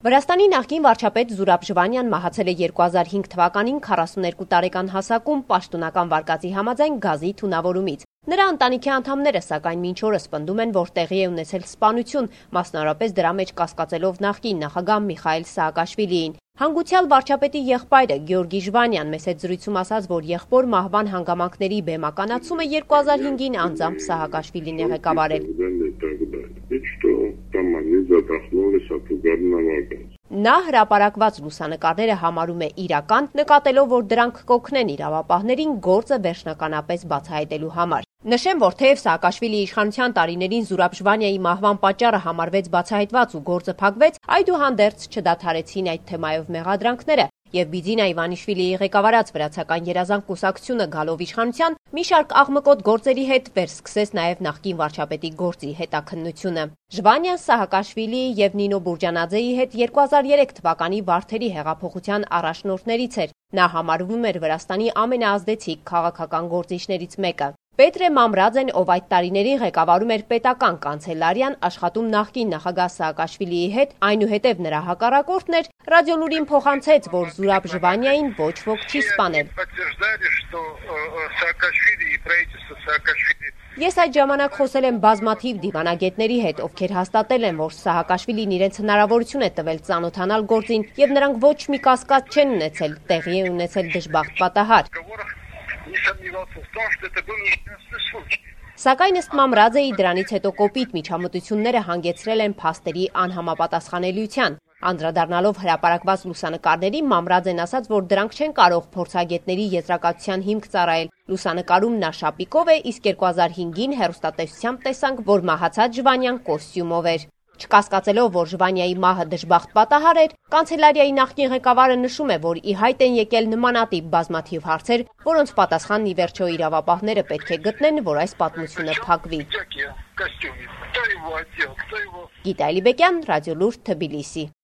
Վրաստանի նախկին վարչապետ Զուրաբ Ժվանյան մահացել է 2005 թվականին 42 տարեկան հասակում պաշտոնական վարկածի համաձայն գազի թունավորումից։ Նրա ընտանիքի անդամները սակայն մինչ օրս պնդում են, որ տեղի է ունեցել սպանություն, մասնավորապես դրա մեջ կասկածելով նախկին նախագահ Միխայիլ Սաակաշվիլիին։ Հանգուցյալ վարչապետի եղբայրը Գեորգի Ժվանյան մեծ հետ զրույցում ասաց, որ եղբոր մահվան հանգամանքների բեմականացումը 2005-ին անձամբ Սաակաշվիլին է ղեկավարել։ Նա հրապարակված լուսանկարները համարում է իրական, նկատելով, որ դրանք կօգնեն իրավապահներին գործը վերջնականապես բացահայտելու համար։ Նշեմ, որ թեև Սաակաշվիլիի իշխանության տարիներին Զուրաբ Ժվանյայի մահվան պատճառը համարվեց բացահայտված ու գործը փակվեց, այդուհանդերձ չդադարեցին այդ թեմայով մեղադրանքները, եւ Բիձինա Իվանիշվիլիի ղեկավարած վրացական երազանք կուսակցությունը գալով իշխանության մի շարք աղմկոտ գործերի հետ վերսկսեց նաեւ նախկին վարչապետի գործի հետաքննությունը։ Ժվանյան Սահակաշվիլիի եւ Նինո Բուրջանաձեի հետ 2003 թվականի Վարդերի հեղափոխության առաջնորդներից էր։ Նա համարվում էր Վրաստանի ամենաազդեցիկ քաղաքական գործիչներից մեկը։ Պետրե Մամրաձեն, ով այդ տարիներին ղեկավարում էր պետական կանցելարիան, աշխատում նախկին նախագահ Սաակաշվիլիի հետ, այնուհետև նրա հակառակորդն էր, Ռադիոլուրին փոխանցեց, որ Զուրաբ Ժվանյային ոչ ոք չի սպանել։ Ես այդ ժամանակ խոսել եմ բազմաթիվ դիվանագետների հետ, ովքեր հաստատել են, որ Սահակաշվիլին իրենց հնարավորություն է տվել ծանոթանալ գործին, եւ նրանք ոչ մի կասկած չեն ունեցել, տեղի է ունեցել դժբախտ պատահար։ Սակայն ըստ Մամրաձեի դրանից հետո կոպիտ միջամտությունները հանգեցրել են փաստերի անհամապատասխանելիության։ Անդրադառնալով հրապարակված լուսանկարներին, Մամրաձեն ասաց, որ դրանք չեն կարող փորձագետների եզրակացության հիմք ծառայել։ Լուսանկարում նա շապիկով է, իսկ 2005-ին հեռուստատեսությամբ տեսանք, որ մահացած Ժվանյան կոստյումով էր։ Չկասկածելով, որ Ժվանյայի մահը դժբախտ պատահար էր, կանցելարիայի նախկին ղեկավարը նշում է, որ ի հայտ են եկել նմանատիպ բազմաթիվ հարցեր, որոնց պատասխանն ի վերջո իրավապահները պետք է գտնեն, որ այս պատմությունը փակվի։ Գիտա Ալիբեկյան, Ռադիոլուր, Թբիլիսի։